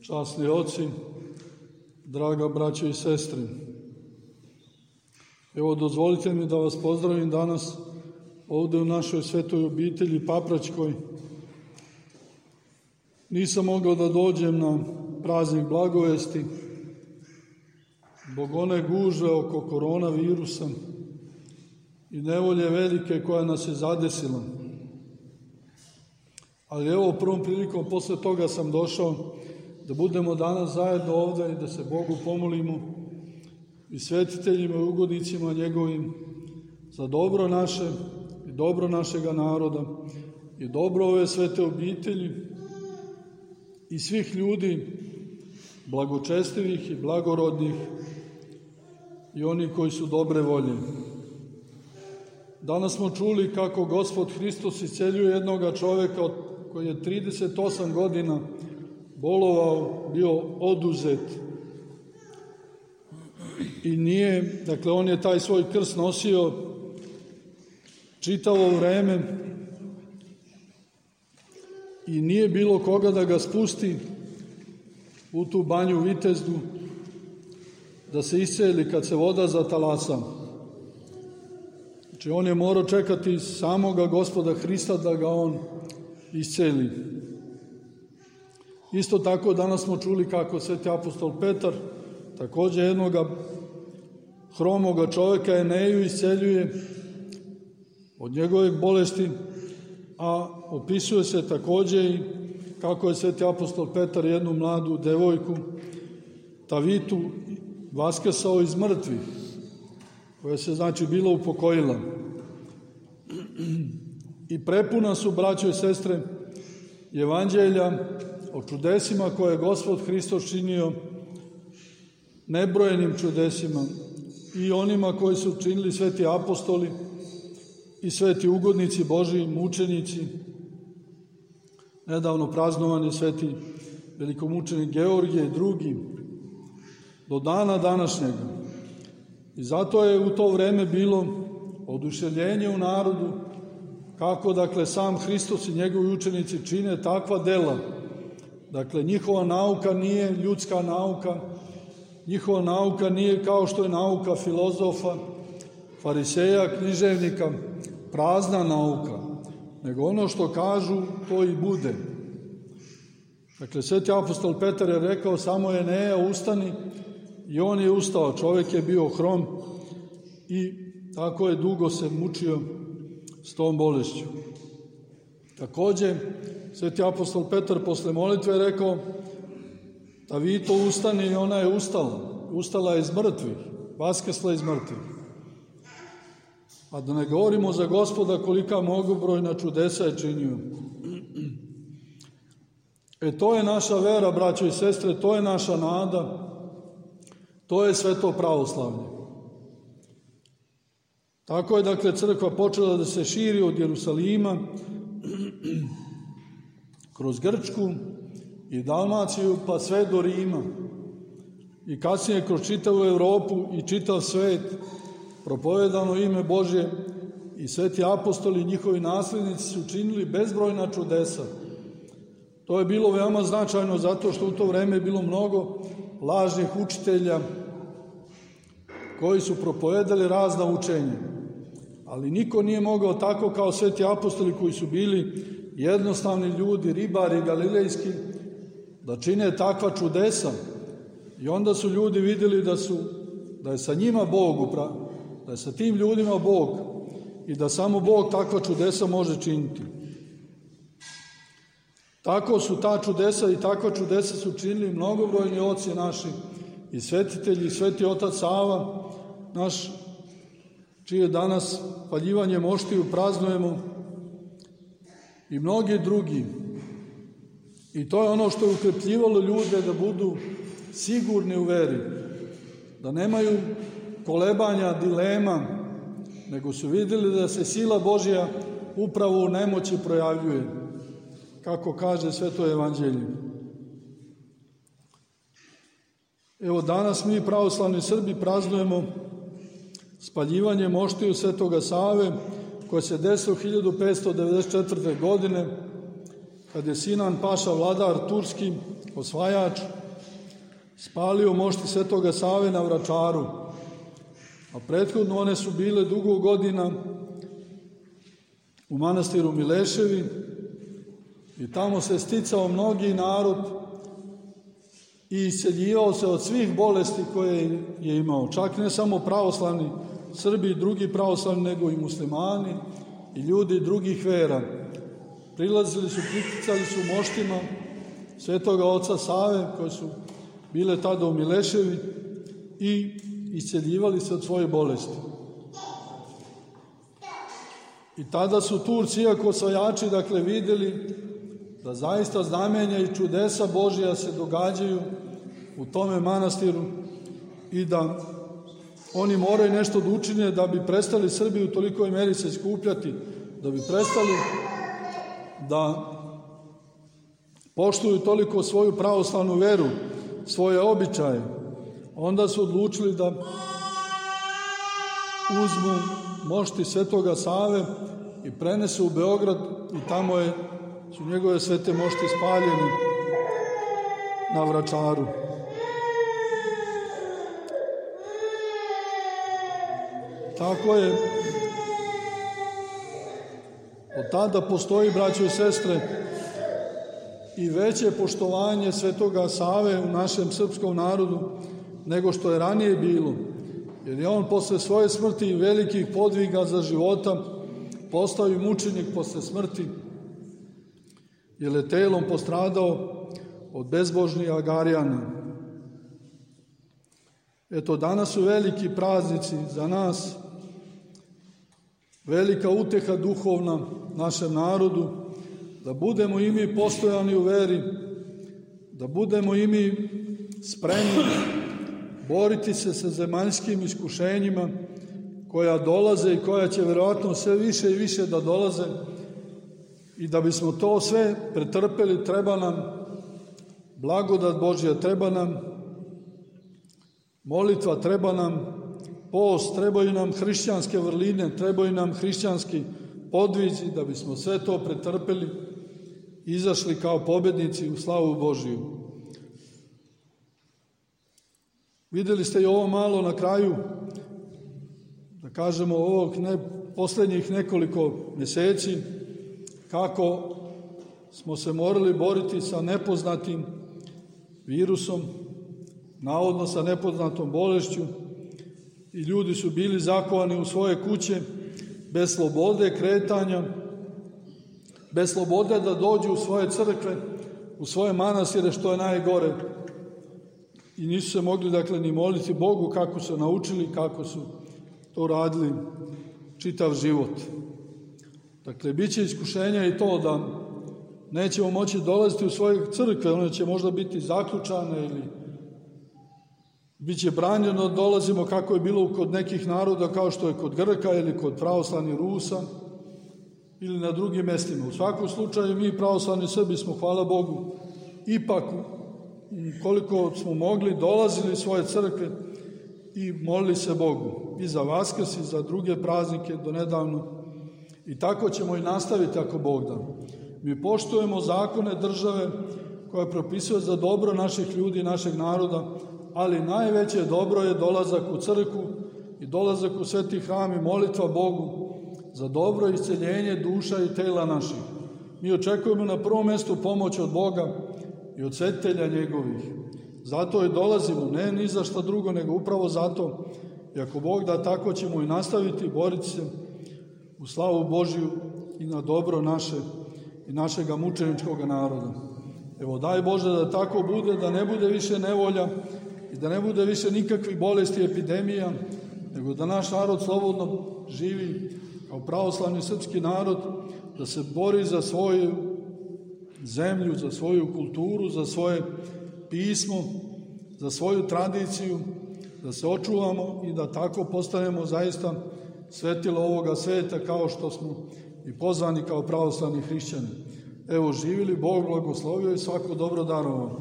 časni oci, draga braćo i sestre. Evo, dozvolite mi da vas pozdravim danas ovdje u našoj svetoj obitelji Papračkoj. Nisam mogao da dođem na praznik Blagovesti zbog one gužve oko koronavirusa i nevolje velike koja nas je zadesila. Ali evo, prvom prilikom posle toga sam došao da budemo danas zajedno ovdje i da se Bogu pomolimo i svetiteljima i ugodnicima njegovim za dobro naše i dobro našega naroda i dobro ove svete obitelji i svih ljudi blagočestivih i blagorodnih i oni koji su dobre volje. Danas smo čuli kako Gospod Hristos isceljuje jednoga čoveka koji je 38 godina bolovao, bio oduzet i nije, dakle on je taj svoj krst nosio čitavo vreme i nije bilo koga da ga spusti u tu banju Vitezdu da se isceli kad se voda zatalasa. Znači on je morao čekati samoga Gospoda Hrista da ga on isceli. Isto tako danas smo čuli kako sveti apostol Petar također jednoga hromoga čovjeka Eneju isceljuje od njegove bolesti, a opisuje se također i kako je sveti apostol Petar jednu mladu devojku Tavitu vaskrsao iz mrtvih, koja se znači bila upokojila. I prepuna su, braćo i sestre, evanđelja o čudesima koje je Gospod Hristos činio, nebrojenim čudesima i onima koji su činili sveti apostoli i sveti ugodnici Božiji, mučenici. Nedavno praznovan je sveti velikomučenik Georgije i drugi, do dana današnjega. I zato je u to vreme bilo oduševljenje u narodu kako, dakle, sam Hristos i njegovi učenici čine takva dela. Dakle, njihova nauka nije ljudska nauka, njihova nauka nije kao što je nauka filozofa, fariseja, književnika, prazna nauka, nego ono što kažu, to i bude. Dakle, sveti apostol Petar je rekao samo Eneja ustani i on je ustao. Čovjek je bio hrom i tako je dugo se mučio s tom bolešću. Također, sveti apostol Petar posle molitve je rekao Tavito ustani i ona je ustala. Ustala je iz mrtvih, vaskrsla iz mrtvih. A da ne govorimo za Gospoda kolika mnogobrojna čudesa je činio. To je naša vera, braćo i sestre, to je naša nada, to je sveto pravoslavlje. Tako je, dakle, crkva počela da se širi od Jerusalima kroz Grčku i Dalmaciju pa sve do Rima i kasnije kroz čitavu Europu i čitav svet propovedano ime Božje i sveti apostoli i njihovi naslednici su činili bezbrojna čudesa. To je bilo veoma značajno zato što u to vreme je bilo mnogo lažnih učitelja koji su propovedali razna učenja. Ali niko nije mogao tako kao sveti apostoli koji su bili jednostavni ljudi, ribari galilejski, da čine takva čudesa. I onda su ljudi vidjeli da je sa njima Bog, da je sa tim ljudima Bog i da samo Bog takva čudesa može činiti. Tako su ta čudesa i takva čudesa su činili mnogobrojni oci naši i svetitelji i sveti otac Sava, naš, čije danas paljivanje moštiju praznujemo, i mnogi drugi. I to je ono što je ukrepljivalo ljude da budu sigurni u veri, da nemaju kolebanja, dilema, nego su vidjeli da se sila Božja upravo u nemoći projavljuje, kako kaže sveto evanđelje. Evo, danas mi, pravoslavni Srbi, praznujemo spaljivanje moštiju svetoga Save, koje se desilo 1594. godine, kad je Sinan Paša, vladar turski, osvajač, spalio mošti Svetoga Save na Vračaru, a prethodno one su bile dugo godina u manastiru Mileševi i tamo se sticao mnogi narod i isceljivao se od svih bolesti koje je imao. Čak ne samo pravoslavni Srbi i drugi pravoslavni, nego i muslimani i ljudi drugih vera. Priticali su moštima Svetoga oca Save, koji su bile tada u Mileševi, i isceljivali se od svoje bolesti. I tada su Turci, iako osvajači, vidjeli da zaista znamenja i čudesa Božja se događaju u tome manastiru i da oni moraju nešto da učine da bi prestali Srbi u tolikoj meri se skupljati, da bi prestali da poštuju toliko svoju pravoslavnu veru, svoje običaje. Onda su odlučili da uzmu mošti Svetoga Save i prenesu u Beograd i tamo su njegove svete mošti spaljene na Vračaru. Tako je. Od tada postoji, braćo i sestre, i veće poštovanje Svetoga Save u našem srpskom narodu nego što je ranije bilo. Jer je on posle svoje smrti i velikih podviga za života postao i mučenik posle smrti, jer je telom postradao od bezbožnih Agarijana. Eto, danas su veliki praznici za nas, velika uteha duhovna našem narodu, da budemo i mi postojani u veri, da budemo i mi spremni boriti se sa zemaljskim iskušenjima koja dolaze i koja će verovatno sve više i više da dolaze, i da bismo to sve pretrpeli treba nam blagodat Božja, treba nam molitva, treba nam post, trebaju nam hrišćanske vrline, trebaju nam hrišćanski podvizi da bismo sve to pretrpeli i izašli kao pobednici u slavu Božiju. Videli ste i ovo malo na kraju, da kažemo, ovog poslednjih nekoliko meseci, kako smo se morali boriti sa nepoznatim virusom, navodno sa nepoznatom bolešću, i ljudi su bili zakovani u svoje kuće, bez slobode kretanja, bez slobode da dođu u svoje crkve, u svoje manastire, što je najgore. I nisu se mogli, ni moliti Bogu kako su naučili, kako su to radili čitav život. Bit će iskušenja i to da nećemo moći dolaziti u svoje crkve, one će možda biti zaključane ili bit će branjeno da dolazimo kako je bilo kod nekih naroda, kao što je kod Grka ili kod pravoslavnih Rusa ili na drugim mestima. U svakom slučaju mi pravoslavni Srbi smo, hvala Bogu, ipak koliko smo mogli dolazili u svoje crkve i molili se Bogu i za Vaskrs i za druge praznike do nedavno, i tako ćemo i nastaviti ako Bog da. Mi poštujemo zakone države koja propisuje za dobro naših ljudi i našeg naroda, ali najveće dobro je dolazak u crkvu i dolazak u sveti hram i molitva Bogu za dobro isceljenje duša i tela naših. Mi očekujemo na prvom mestu pomoć od Boga i od svetitelja njegovih. Zato i dolazimo, ne ni za šta drugo, nego upravo zato. I ako Bog da, tako ćemo i nastaviti boriti se u slavu Božiju i na dobro naše i našega mučeničkog naroda. Evo, daj Bože da tako bude, da ne bude više nevolja i da ne bude više nikakvih bolesti i epidemija, nego da naš narod slobodno živi kao pravoslavni srpski narod, da se bori za svoju zemlju, za svoju kulturu, za svoje pismo, za svoju tradiciju, da se očuvamo i da tako postanemo zaista svetilo ovoga sveta, kao što smo i pozvani kao pravoslavni hrišćani. Evo, živili, Bog blagoslovio i svako dobro darovao.